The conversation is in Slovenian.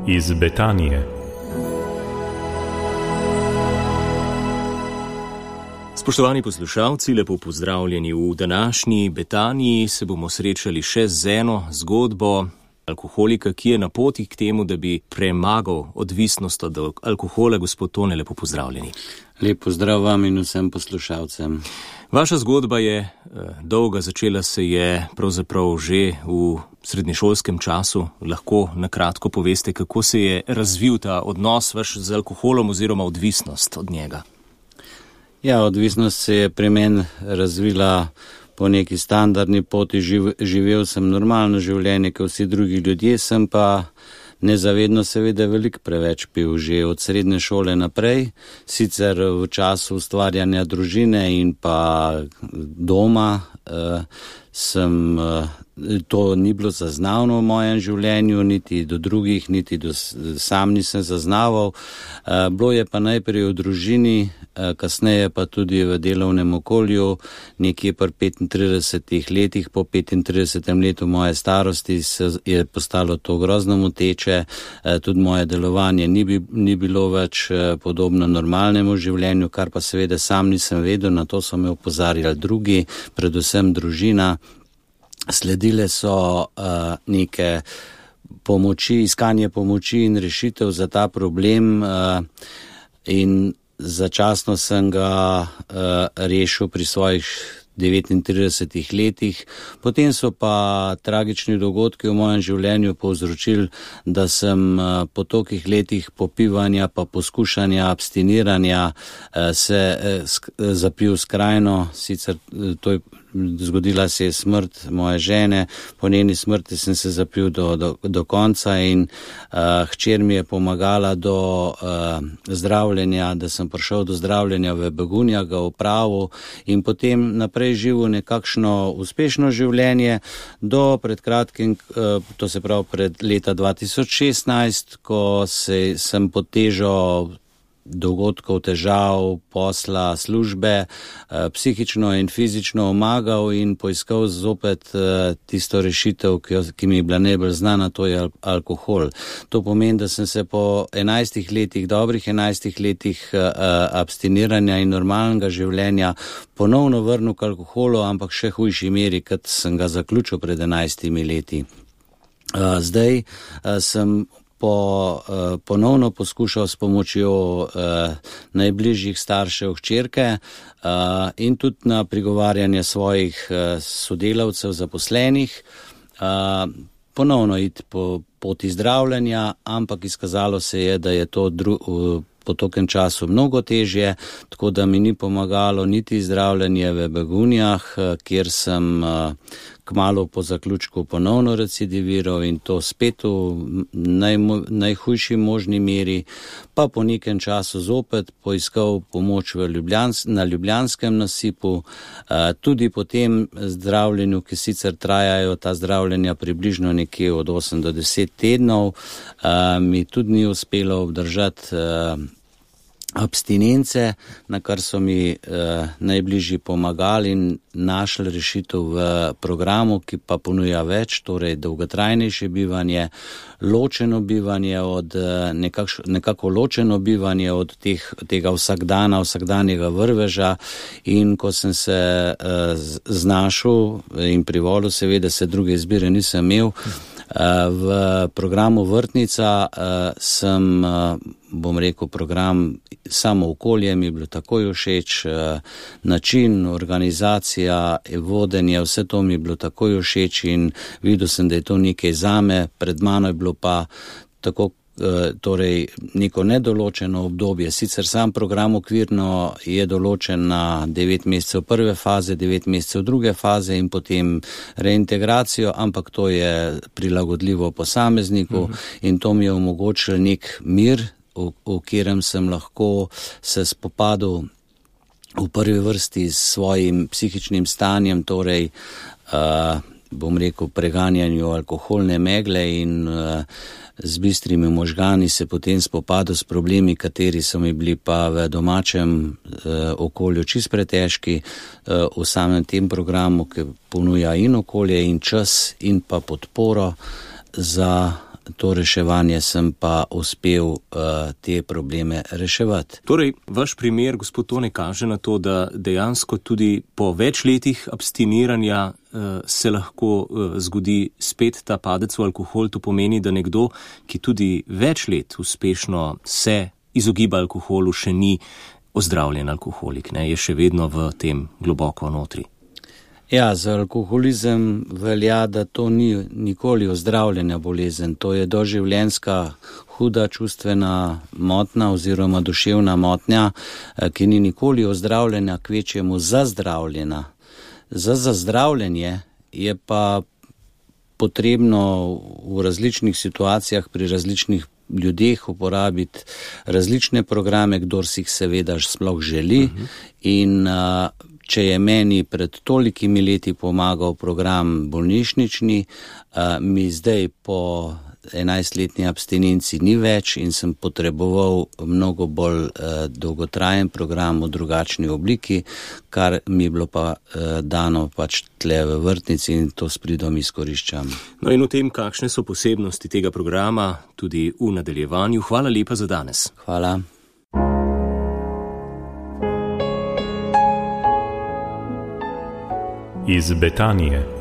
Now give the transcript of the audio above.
iz Betanije. Spoštovani poslušalci, lepo pozdravljeni v današnji Betaniji. Se bomo srečali še z eno zgodbo alkoholika, ki je na poti k temu, da bi premagal odvisnost od alkohola. Gospod Tone, lepo pozdravljeni. Lep pozdrav vam in vsem poslušalcem. Vaša zgodba je dolga, začela se je pravzaprav že v srednješolskem času. Lahko na kratko poveste, kako se je razvil ta odnos vaš z alkoholom oziroma odvisnost od njega? Ja, odvisnost se je pri meni razvila po neki standardni poti. Živel sem normalno življenje, kot vsi drugi ljudje, sem pa nezavedno seveda veliko preveč pil že od srednje šole naprej, sicer v času ustvarjanja družine in pa doma to ni bilo zaznavno v mojem življenju, niti do drugih, niti sam nisem zaznaval. Bilo je pa najprej v družini, kasneje pa tudi v delovnem okolju, nekje pri 35 letih, po 35. letu moje starosti je postalo to grozno moteče, tudi moje delovanje ni bilo več podobno normalnemu življenju, kar pa seveda sam nisem vedel, na to so me opozarjali drugi, predvsem družina. Sledile so neke pomoči, iskanje pomoči in rešitev za ta problem in začasno sem ga rešil pri svojih 39 letih. Potem so pa tragični dogodki v mojem življenju povzročili, da sem po tolikih letih popivanja pa poskušanja abstiniranja se zapil skrajno, sicer to je zgodila se je smrt moje žene, po njeni smrti sem se zapil do konca in hčer mi je pomagala do zdravljenja, da sem prišel do zdravljenja v Begunja, ga opravil in potem naprej živel nekakšno uspešno življenje do pred kratkim, to se pravi pred leta 2016, ko sem pod težo dogodkov, težav, posla, službe, psihično in fizično omagal in poiskal zopet tisto rešitev, ki mi je bila najbolj znana, to je alkohol. To pomeni, da sem se po 11 letih, dobrih 11 letih abstiniranja in normalnega življenja ponovno vrnil k alkoholu, ampak še hujši meri, kot sem ga zaključil pred 11 leti. Zdaj sem ponovno poskušal s pomočjo najbližjih staršev hčerke in tudi na prigovarjanje svojih sodelavcev, zaposlenih, ponovno iti po poti zdravljenja, ampak izkazalo se je, da je to po tokem času mnogo težje, tako da mi ni pomagalo niti zdravljenje v Begunjah, kjer sem kmalu po zaključku ponovno recidiviral in to spet v najhujši možni meri, pa po nekem času zopet poiskal pomoč na Ljubljanskem nasipu, tudi po tem zdravljenju, ki sicer trajajo ta zdravljenja približno nekje od 8 do 10 tednov, mi tudi ni uspelo obdržati abstinence, na kar so mi najbližji pomagali in našli rešitev v programu, ki pa ponuja več, torej dolgotrajnejše bivanje, ločeno bivanje od nekako ločeno bivanje od tega vsakdanjega vrveža in ko sem se znašel in privolil, seveda se druge izbire nisem imel, v programu Vrtnica sem, bom rekel, program samo okolje mi je bilo takoj všeč, način, organizacija, vodenje, vse to mi je bilo takoj všeč in videl sem, da je to nekaj zame, pred mano je bilo pa tako torej neko nedoločeno obdobje. Sicer sam program okvirno je določen na 9 mesecev prve faze, 9 mesecev druge faze in potem reintegracijo, ampak to je prilagodljivo posamezniku in to mi je omogočilo nek mir, v katerem sem lahko se spopadal v prvi vrsti s svojim psihičnim stanjem, torej bom rekel preganjanju alkoholne megle in z bistrimi možgani se potem spopadal s problemi, kateri so mi bili pa v domačem okolju čist pretežki, v samem tem programu, ki ponuja in okolje in čas in pa podporo za to reševanje sem pa uspel te probleme reševati. Torej, vaš primer, gospod Tone, kaže na to, da dejansko tudi po več letih abstiniranja se lahko zgodi spet ta padec v alkohol. To pomeni, da nekdo, ki tudi več let uspešno se izogiba alkoholu, še ni ozdravljen alkoholik, ne, je še vedno v tem globoko notri. Ja, za alkoholizem velja, da to ni nikoli ozdravljena bolezen, to je doživljenjska huda čustvena motnja oziroma duševna motnja, ki ni nikoli ozdravljena, kvečjemu zazdravljena. Za zazdravljenje je pa potrebno v različnih situacijah pri različnih ljudeh uporabiti različne programe, kdor si jih seveda sploh želi. In če je meni pred tolikimi leti pomagal program bolnišnični, mi zdaj po 11-letni abstinenci ni več in sem potreboval mnogo bolj dolgotrajen program v drugačni obliki, kar mi je bilo pa dano pač tle v vrtnici in to s pridom izkoriščam. No in o tem, kakšne so posebnosti tega programa, tudi v nadaljevanju. Hvala lepa za danes. Hvala. Iz Betanije.